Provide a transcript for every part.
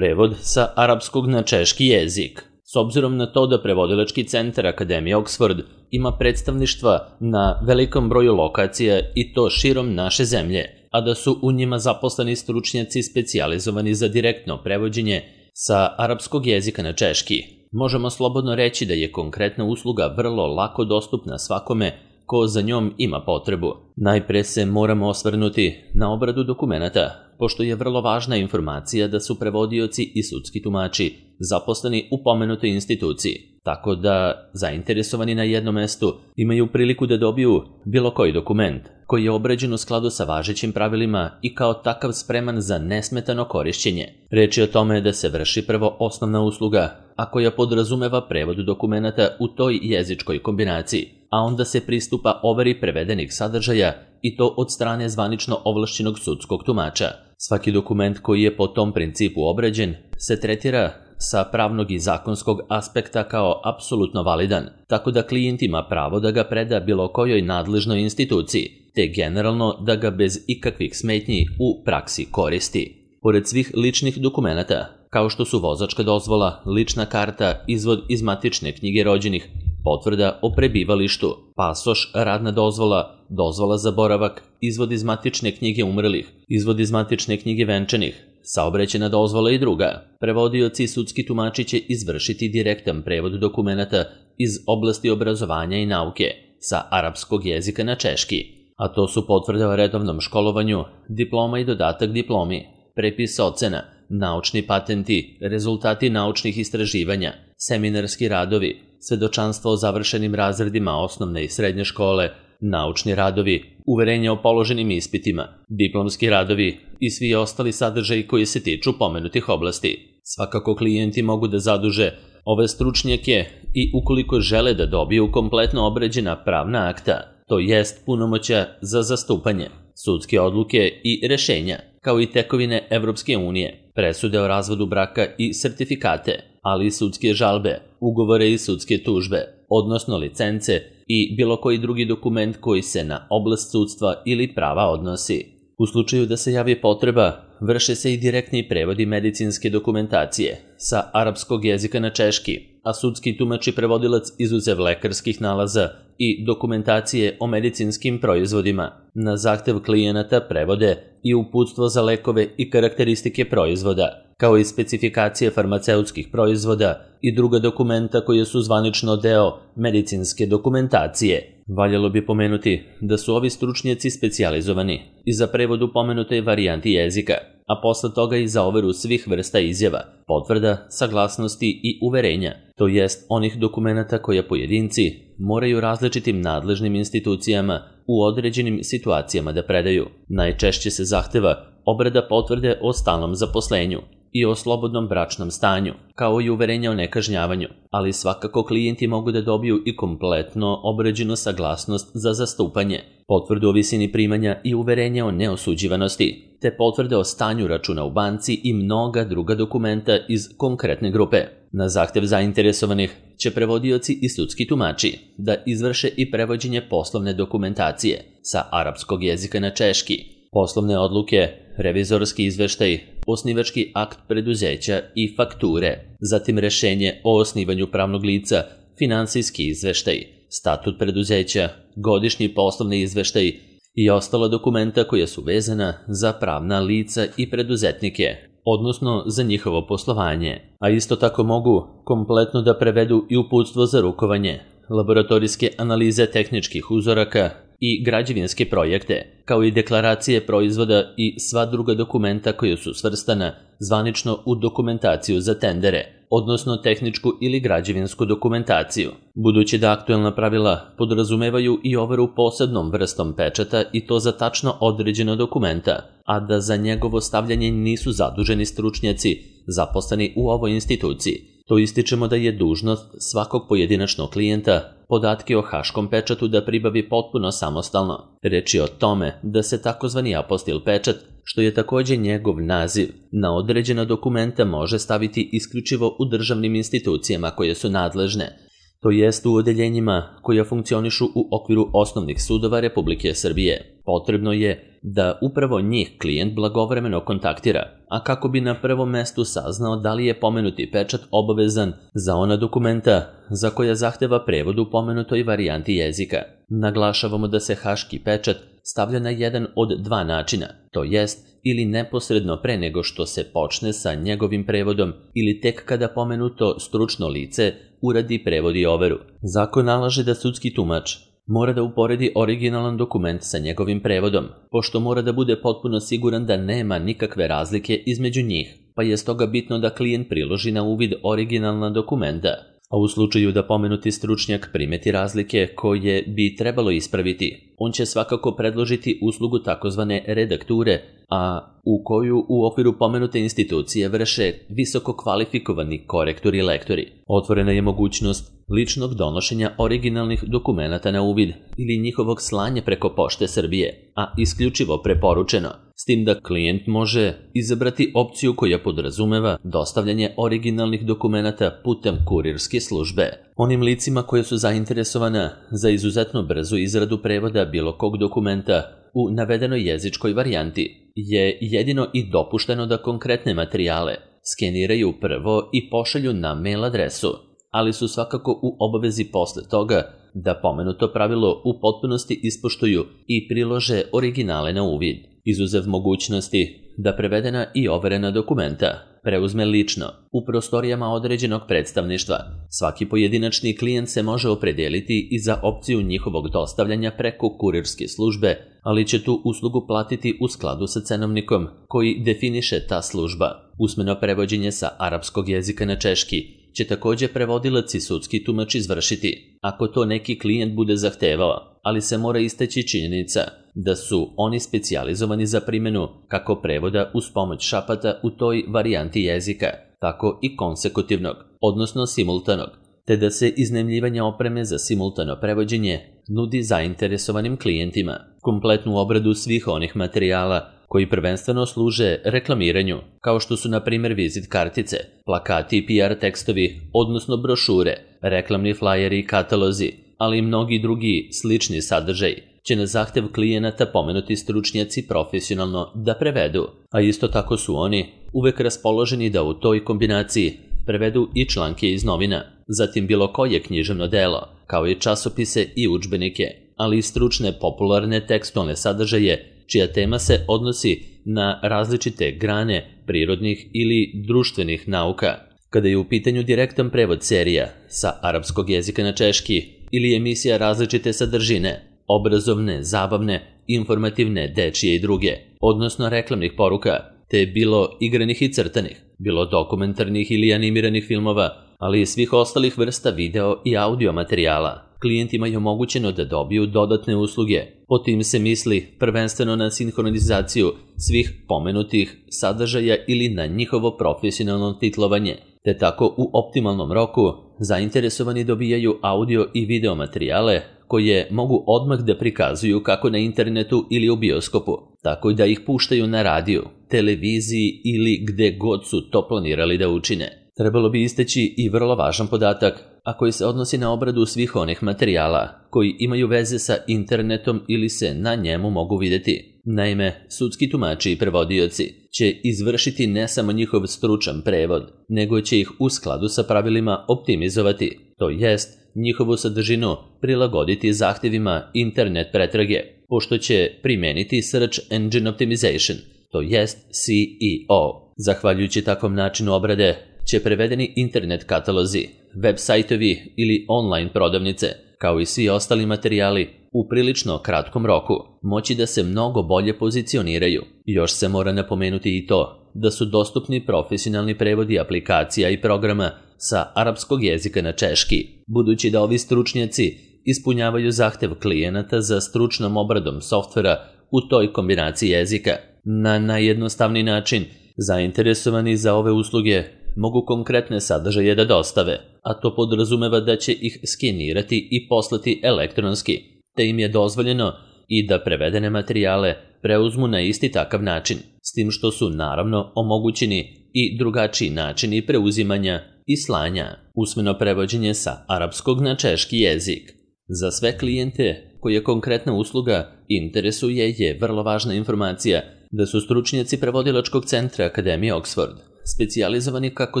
Prevod sa arapskog na češki jezik. S obzirom na to da prevodilački centar Akademije Oxford ima predstavništva na velikom broju lokacija i to širom naše zemlje, a da su u njima zaposleni stručnjaci specijalizovani za direktno prevođenje sa arapskog jezika na češki, možemo slobodno reći da je konkretna usluga vrlo lako dostupna svakome ko za njom ima potrebu. Najpre se moramo osvrnuti na obradu dokumenata, pošto je vrlo važna informacija da su prevodioci i sudski tumači zaposleni u pomenutoj instituciji, tako da zainteresovani na jednom mestu imaju priliku da dobiju bilo koji dokument koji je obrađen u skladu sa važećim pravilima i kao takav spreman za nesmetano korišćenje. Reč je o tome da se vrši prvo osnovna usluga, a koja podrazumeva prevod dokumenata u toj jezičkoj kombinaciji, a onda se pristupa overi prevedenih sadržaja i to od strane zvanično ovlašćenog sudskog tumača. Svaki dokument koji je po tom principu obrađen se tretira sa pravnog i zakonskog aspekta kao apsolutno validan, tako da klijent ima pravo da ga preda bilo kojoj nadležnoj instituciji, te generalno da ga bez ikakvih smetnji u praksi koristi. Pored svih ličnih dokumenata, kao što su vozačka dozvola, lična karta, izvod iz matične knjige rođenih, potvrda o prebivalištu, pasoš, radna dozvola, dozvola za boravak, izvod iz matične knjige umrlih, izvod iz matične knjige venčanih, saobraćajna dozvola i druga. Prevodioci i sudski tumači će izvršiti direktan prevod dokumenata iz oblasti obrazovanja i nauke sa arapskog jezika na češki, a to su potvrde o redovnom školovanju, diploma i dodatak diplomi, prepis ocena, naučni patenti, rezultati naučnih istraživanja, seminarski radovi, svedočanstvo o završenim razredima osnovne i srednje škole, naučni radovi, uverenja o položenim ispitima, diplomski radovi i svi ostali sadržaji koji se tiču pomenutih oblasti. Svakako klijenti mogu da zaduže ove stručnjake i ukoliko žele da dobiju kompletno obrađena pravna akta, to jest punomoćja za zastupanje, sudske odluke i rešenja, kao i tekovine Evropske unije, presude o razvodu braka i sertifikate, ali i sudske žalbe, ugovore i sudske tužbe, odnosno licence i bilo koji drugi dokument koji se na oblast sudstva ili prava odnosi. U slučaju da se javi potreba, vrše se i direktni prevodi medicinske dokumentacije sa arapskog jezika na češki, a sudski tumač i prevodilac izuzev lekarskih nalaza i dokumentacije o medicinskim proizvodima na zahtev klijenata prevode i uputstvo za lekove i karakteristike proizvoda, kao i specifikacije farmaceutskih proizvoda i druga dokumenta koje su zvanično deo medicinske dokumentacije. Valjalo bi pomenuti da su ovi stručnjaci specijalizovani i za prevod u pomenutoj varijanti jezika, a posle toga i za overu svih vrsta izjava, potvrda, saglasnosti i uverenja, to jest onih dokumenata koje pojedinci moraju različitim nadležnim institucijama u određenim situacijama da predaju. Najčešće se zahteva obrada potvrde o stalnom zaposlenju i o slobodnom bračnom stanju, kao i uverenja o nekažnjavanju, ali svakako klijenti mogu da dobiju i kompletno obrađenu saglasnost za zastupanje, potvrdu o visini primanja i uverenja o neosuđivanosti, te potvrde o stanju računa u banci i mnoga druga dokumenta iz konkretne grupe. Na zahtev zainteresovanih će prevodioci i sudski tumači da izvrše i prevođenje poslovne dokumentacije sa arapskog jezika na češki, poslovne odluke, revizorski izveštaj, osnivački akt preduzeća i fakture, zatim rešenje o osnivanju pravnog lica, finansijski izveštaj, statut preduzeća, godišnji poslovni izveštaj i ostala dokumenta koja su vezana za pravna lica i preduzetnike, odnosno za njihovo poslovanje, a isto tako mogu kompletno da prevedu i uputstvo za rukovanje, laboratorijske analize tehničkih uzoraka i građevinske projekte, kao i deklaracije proizvoda i sva druga dokumenta koja su svrstana zvanično u dokumentaciju za tendere, odnosno tehničku ili građevinsku dokumentaciju. Budući da aktuelna pravila podrazumevaju i overu posebnom vrstom pečata i to za tačno određeno dokumenta, a da za njegovo stavljanje nisu zaduženi stručnjaci zaposleni u ovoj instituciji, to ističemo da je dužnost svakog pojedinačnog klijenta podatke o haškom pečatu da pribavi potpuno samostalno. Reč je o tome da se takozvani apostil pečat, što je takođe njegov naziv, na određena dokumenta može staviti isključivo u državnim institucijama koje su nadležne to jest u odeljenjima koja funkcionišu u okviru osnovnih sudova Republike Srbije. Potrebno je da upravo njih klijent blagovremeno kontaktira, a kako bi na prvom mestu saznao da li je pomenuti pečat obavezan za ona dokumenta za koja zahteva prevod u pomenutoj varijanti jezika. Naglašavamo da se haški pečat stavlja na jedan od dva načina, to jest ili neposredno pre nego što se počne sa njegovim prevodom ili tek kada pomenuto stručno lice uradi prevod i overu. Zakon nalaže da sudski tumač mora da uporedi originalan dokument sa njegovim prevodom, pošto mora da bude potpuno siguran da nema nikakve razlike između njih, pa je stoga bitno da klijent priloži na uvid originalna dokumenta, a u slučaju da pomenuti stručnjak primeti razlike koje bi trebalo ispraviti, on će svakako predložiti uslugu takozvane redakture, a u koju u okviru pomenute institucije vrše visoko kvalifikovani korektori i lektori. Otvorena je mogućnost ličnog donošenja originalnih dokumenata na uvid ili njihovog slanja preko Pošte Srbije, a isključivo preporučeno, s tim da klijent može izabrati opciju koja podrazumeva dostavljanje originalnih dokumenata putem kurirske službe. Onim licima koje su zainteresovana za izuzetno brzu izradu prevoda bilo kog dokumenta u navedenoj jezičkoj varijanti je jedino i dopušteno da konkretne materijale skeniraju prvo i pošalju na mail adresu, ali su svakako u obavezi posle toga da pomenuto pravilo u potpunosti ispoštuju i prilože originale na uvid, izuzev mogućnosti da prevedena i overena dokumenta preuzme lično u prostorijama određenog predstavništva. Svaki pojedinačni klijent se može opredeliti i za opciju njihovog dostavljanja preko kurirske službe, ali će tu uslugu platiti u skladu sa cenovnikom koji definiše ta služba. Usmeno prevođenje sa arapskog jezika na češki će takođe prevodilac i sudski tumač izvršiti, ako to neki klijent bude zahtevao, ali se mora istaći činjenica da su oni specijalizovani za primjenu kako prevoda uz pomoć šapata u toj varijanti jezika, tako i konsekutivnog, odnosno simultanog, te da se iznajmljivanje opreme za simultano prevođenje nudi zainteresovanim klijentima. Kompletnu obradu svih onih materijala koji prvenstveno služe reklamiranju, kao što su na primjer vizit kartice, plakati i PR tekstovi, odnosno brošure, reklamni flajeri i katalozi, ali i mnogi drugi slični sadržaj, će na zahtev klijenata pomenuti stručnjaci profesionalno da prevedu, a isto tako su oni uvek raspoloženi da u toj kombinaciji prevedu i članke iz novina, zatim bilo koje književno delo, kao i časopise i udžbenike, ali i stručne popularne tekstualne sadržaje čija tema se odnosi na različite grane prirodnih ili društvenih nauka. Kada je u pitanju direktan prevod serija sa arapskog jezika na češki ili emisija različite sadržine, obrazovne, zabavne, informativne, dečije i druge, odnosno reklamnih poruka, te bilo igranih i crtanih, bilo dokumentarnih ili animiranih filmova, ali i svih ostalih vrsta video i audio materijala, klijentima je omogućeno da dobiju dodatne usluge. Po tim se misli prvenstveno na sinhronizaciju svih pomenutih sadržaja ili na njihovo profesionalno titlovanje, te tako u optimalnom roku zainteresovani dobijaju audio i video materijale koje mogu odmah da prikazuju kako na internetu ili u bioskopu, tako da ih puštaju na radiju, televiziji ili gde god su to planirali da učine. Trebalo bi istaći i vrlo važan podatak, a koji se odnosi na obradu svih onih materijala koji imaju veze sa internetom ili se na njemu mogu vidjeti. Naime, sudski tumači i prevodioci će izvršiti ne samo njihov stručan prevod, nego će ih u skladu sa pravilima optimizovati, to jest njihovu sadržinu prilagoditi zahtjevima internet pretrage, pošto će primeniti Search Engine Optimization, to jest SEO. Zahvaljujući takvom načinu obrade, će prevedeni internet katalozi, web sajtovi ili online prodavnice, kao i svi ostali materijali, u prilično kratkom roku moći da se mnogo bolje pozicioniraju. Još se mora napomenuti i to da su dostupni profesionalni prevodi aplikacija i programa sa arapskog jezika na češki, budući da ovi stručnjaci ispunjavaju zahtev klijenata za stručnom obradom softvera u toj kombinaciji jezika. Na najjednostavniji način, zainteresovani za ove usluge mogu konkretne sadržaje da dostave, a to podrazumeva da će ih skenirati i poslati elektronski, te im je dozvoljeno i da prevedene materijale preuzmu na isti takav način, s tim što su naravno omogućeni i drugačiji načini preuzimanja i slanja, usmeno prevođenje sa arapskog na češki jezik. Za sve klijente koje konkretna usluga interesuje je vrlo važna informacija da su stručnjaci prevodilačkog centra Akademije Oxford specijalizovani kako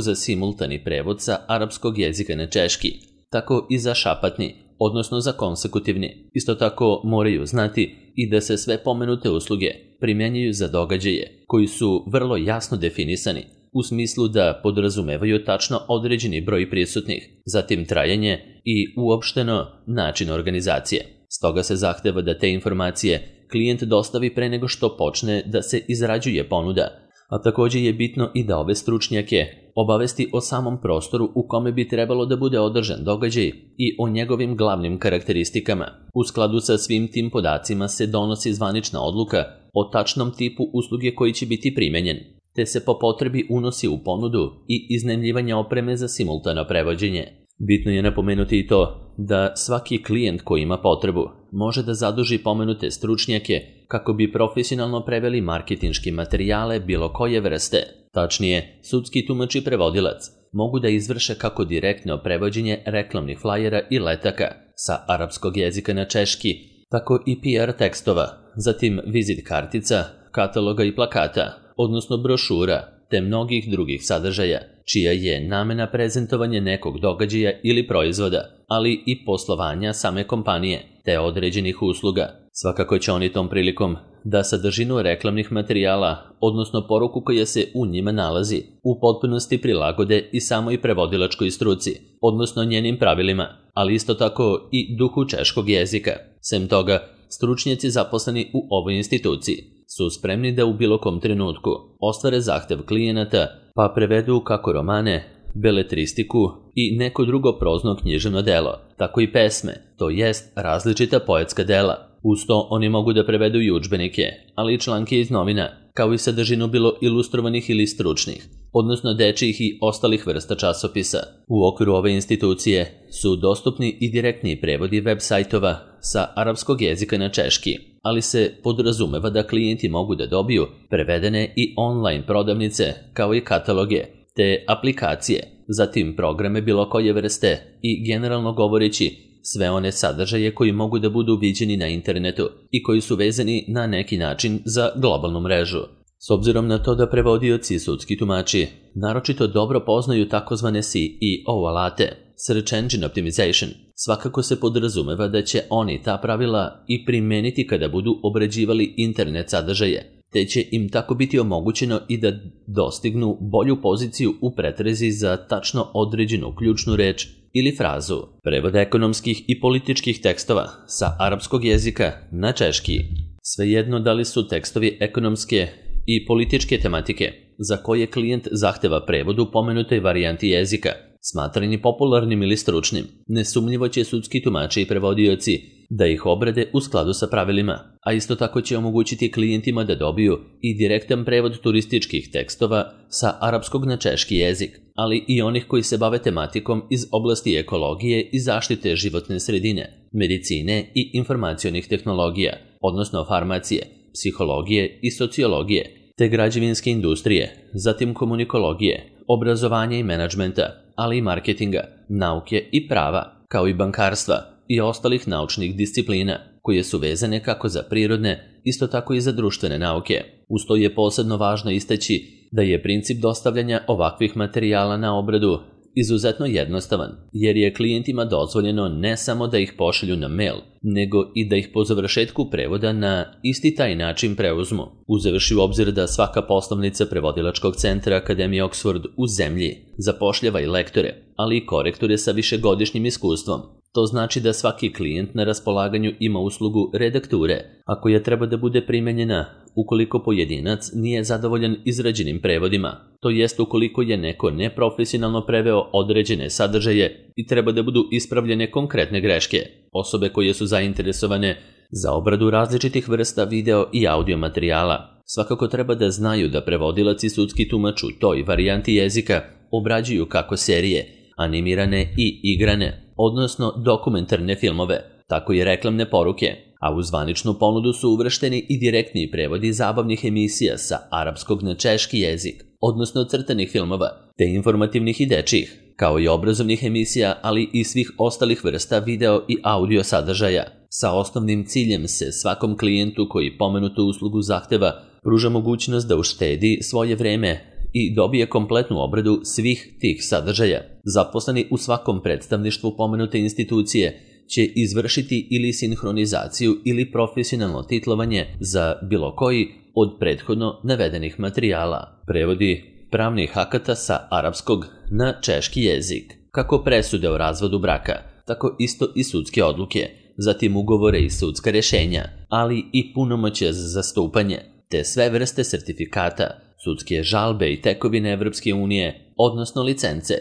za simultani prevod sa arapskog jezika na češki, tako i za šapatni, odnosno za konsekutivni. Isto tako moraju znati i da se sve pomenute usluge primjenjuju za događaje koji su vrlo jasno definisani, u smislu da podrazumevaju tačno određeni broj prisutnih, zatim trajanje i uopšteno način organizacije. Stoga se zahteva da te informacije klijent dostavi pre nego što počne da se izrađuje ponuda, a također je bitno i da ove stručnjake obavesti o samom prostoru u kome bi trebalo da bude održan događaj i o njegovim glavnim karakteristikama. U skladu sa svim tim podacima se donosi zvanična odluka o tačnom tipu usluge koji će biti primenjen, te se po potrebi unosi u ponudu i iznajmljivanje opreme za simultano prevođenje. Bitno je napomenuti i to da svaki klijent koji ima potrebu može da zaduži pomenute stručnjake kako bi profesionalno preveli marketinške materijale bilo koje vrste. Tačnije, sudski tumač i prevodilac mogu da izvrše kako direktno prevođenje reklamnih flajera i letaka sa arapskog jezika na češki, tako i PR tekstova, zatim vizit kartica, kataloga i plakata, odnosno brošura, te mnogih drugih sadržaja, čija je namena prezentovanje nekog događaja ili proizvoda, ali i poslovanja same kompanije, te određenih usluga. Svakako će oni tom prilikom da sadržinu reklamnih materijala, odnosno poruku koja se u njima nalazi, u potpunosti prilagode i samoj prevodilačkoj struci, odnosno njenim pravilima, ali isto tako i duhu češkog jezika. Sem toga, stručnjaci zaposleni u ovoj instituciji su spremni da u bilo kom trenutku ostvare zahtev klijenata pa prevedu kako romane, beletristiku i neko drugo prozno književno delo, tako i pesme, to jest različita poetska dela. Uz to oni mogu da prevedu i udžbenike, ali i članke iz novina, kao i sadržinu bilo ilustrovanih ili stručnih, odnosno dečijih i ostalih vrsta časopisa. U okviru ove institucije su dostupni i direktni prevodi web sajtova sa arapskog jezika na češki, ali se podrazumeva da klijenti mogu da dobiju prevedene i online prodavnice kao i kataloge, te aplikacije, zatim programe bilo koje vrste i generalno govoreći sve one sadržaje koji mogu da budu viđeni na internetu i koji su vezani na neki način za globalnu mrežu. S obzirom na to da prevodioci i sudski tumači naročito dobro poznaju takozvane SEO alate, Search Engine Optimization, svakako se podrazumeva da će oni ta pravila i primeniti kada budu obrađivali internet sadržaje, te će im tako biti omogućeno i da dostignu bolju poziciju u pretrezi za tačno određenu ključnu reč ili frazu. Prevod ekonomskih i političkih tekstova sa arapskog jezika na češki. Svejedno da li su tekstovi ekonomske i političke tematike za koje klijent zahteva prevod u pomenutoj varijanti jezika, smatrani popularnim ili stručnim, nesumnjivo će sudski tumači i prevodioci da ih obrade u skladu sa pravilima, a isto tako će omogućiti klijentima da dobiju i direktan prevod turističkih tekstova sa arapskog na češki jezik, ali i onih koji se bave tematikom iz oblasti ekologije i zaštite životne sredine, medicine i informacionih tehnologija, odnosno farmacije, psihologije i sociologije, te građevinske industrije, zatim komunikologije, obrazovanja i menadžmenta, ali i marketinga, nauke i prava, kao i bankarstva i ostalih naučnih disciplina, koje su vezane kako za prirodne, isto tako i za društvene nauke. Uz to je posebno važno istaći da je princip dostavljanja ovakvih materijala na obradu izuzetno jednostavan, jer je klijentima dozvoljeno ne samo da ih pošalju na mail, nego i da ih po završetku prevoda na isti taj način preuzmu, uzevši u obzir da svaka poslovnica prevodilačkog centra Akademije Oxford u zemlji zapošljava i lektore, ali i korektore sa višegodišnjim iskustvom. To znači da svaki klijent na raspolaganju ima uslugu redakture, a koja treba da bude primenjena ukoliko pojedinac nije zadovoljan izrađenim prevodima, to jest ukoliko je neko neprofesionalno preveo određene sadržaje i treba da budu ispravljene konkretne greške. Osobe koje su zainteresovane za obradu različitih vrsta video i audio materijala svakako treba da znaju da prevodilac i sudski tumač u toj varijanti jezika obrađuju kako serije, animirane i igrane, odnosno dokumentarne filmove, tako i reklamne poruke, a u zvaničnu ponudu su uvršteni i direktni prevodi zabavnih emisija sa arapskog na češki jezik, odnosno crtanih filmova, te informativnih i dečijih, kao i obrazovnih emisija, ali i svih ostalih vrsta video i audio sadržaja. Sa osnovnim ciljem se svakom klijentu koji pomenutu uslugu zahteva pruža mogućnost da uštedi svoje vreme i dobije kompletnu obradu svih tih sadržaja. Zaposleni u svakom predstavništvu pomenute institucije će izvršiti ili sinhronizaciju ili profesionalno titlovanje za bilo koji od prethodno navedenih materijala. Prevodi pravnih akata sa arapskog na češki jezik, kako presude o razvodu braka, tako isto i sudske odluke, zatim ugovore i sudska rješenja, ali i punomoćje za zastupanje, te sve vrste sertifikata, sudske žalbe i tekovine Evropske unije, odnosno licence,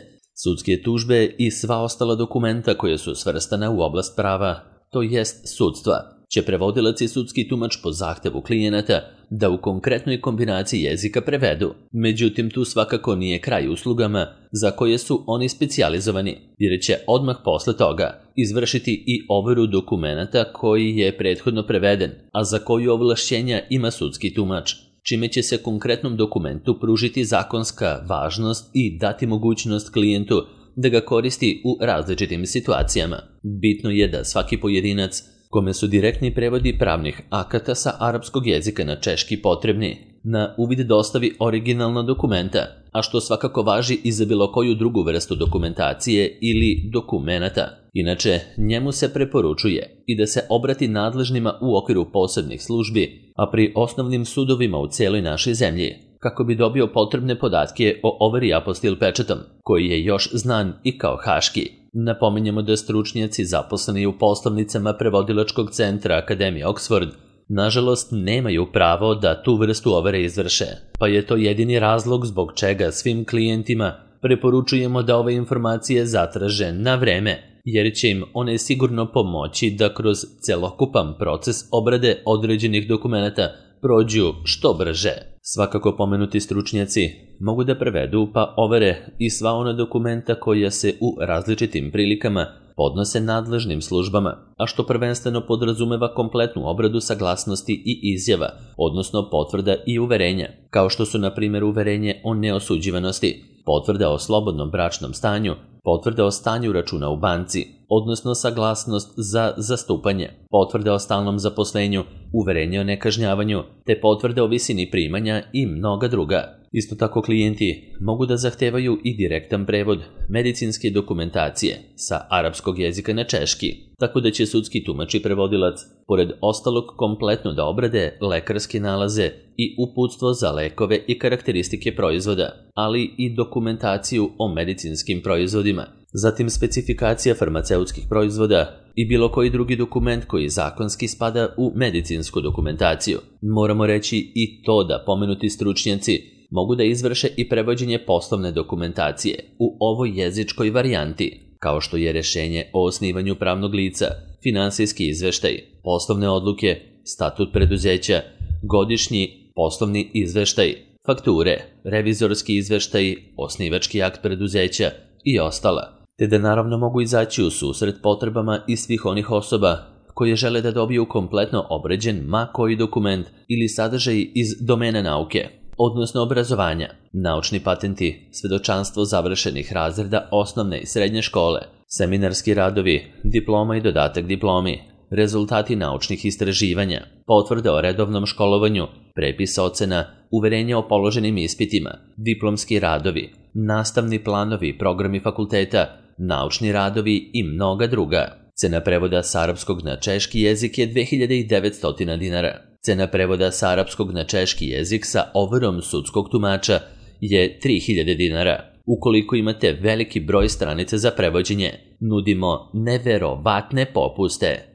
sudske tužbe i sva ostala dokumenta koje su svrstana u oblast prava, to jest sudstva, će prevodilac i sudski tumač po zahtevu klijenata da u konkretnoj kombinaciji jezika prevedu. Međutim, tu svakako nije kraj uslugama za koje su oni specijalizovani, jer će odmah posle toga izvršiti i overu dokumenata koji je prethodno preveden, a za koju ovlašćenja ima sudski tumač, čime će se konkretnom dokumentu pružiti zakonska važnost i dati mogućnost klijentu da ga koristi u različitim situacijama. Bitno je da svaki pojedinac kome su direktni prevodi pravnih akata sa arapskog jezika na češki potrebni, na uvid dostavi originalna dokumenta, a što svakako važi i za bilo koju drugu vrstu dokumentacije ili dokumenata. Inače, njemu se preporučuje i da se obrati nadležnima u okviru posebnih službi, a pri osnovnim sudovima u cijeloj našoj zemlji, kako bi dobio potrebne podatke o overi apostil pečatom, koji je još znan i kao haški. Napominjemo da stručnjaci zaposleni u poslovnicama prevodilačkog centra Akademije Oxford nažalost nemaju pravo da tu vrstu overe izvrše, pa je to jedini razlog zbog čega svim klijentima preporučujemo da ove informacije zatraže na vreme, jer će im one sigurno pomoći da kroz celokupan proces obrade određenih dokumenata prođu što brže. Svakako pomenuti stručnjaci mogu da prevedu pa overe i sva ona dokumenta koja se u različitim prilikama podnose nadležnim službama, a što prvenstveno podrazumeva kompletnu obradu saglasnosti i izjava, odnosno potvrda i uverenja, kao što su na primjer uverenje o neosuđivanosti, potvrda o slobodnom bračnom stanju, potvrda o stanju računa u banci, odnosno saglasnost za zastupanje, potvrda o stalnom zaposlenju, uverenje o nekažnjavanju, te potvrda o visini primanja i mnoga druga. Isto tako klijenti mogu da zahtevaju i direktan prevod medicinske dokumentacije sa arapskog jezika na češki, tako da će sudski tumač i prevodilac, pored ostalog, kompletno da obrade lekarske nalaze i uputstvo za lekove i karakteristike proizvoda, ali i dokumentaciju o medicinskim proizvodima, zatim specifikacija farmaceutskih proizvoda i bilo koji drugi dokument koji zakonski spada u medicinsku dokumentaciju. Moramo reći i to da pomenuti stručnjaci mogu da izvrše i prevođenje poslovne dokumentacije u ovoj jezičkoj varijanti, kao što je rješenje o osnivanju pravnog lica, finansijski izveštaj, poslovne odluke, statut preduzeća, godišnji poslovni izveštaj, fakture, revizorski izveštaj, osnivački akt preduzeća i ostala, te da naravno mogu izaći u susret potrebama i svih onih osoba koje žele da dobiju kompletno obrađen ma koji dokument ili sadržaj iz domena nauke, odnosno obrazovanja, naučni patenti, svedočanstvo završenih razreda osnovne i srednje škole, seminarski radovi, diploma i dodatak diplomi, rezultati naučnih istraživanja, potvrde o redovnom školovanju, prepis ocena, uverenje o položenim ispitima, diplomski radovi, nastavni planovi, programi fakulteta, naučni radovi i mnoga druga. Cena prevoda s arapskog na češki jezik je 2900 dinara. Cena prevoda s arapskog na češki jezik sa overom sudskog tumača je 3000 dinara. Ukoliko imate veliki broj stranica za prevođenje, nudimo neverovatne popuste.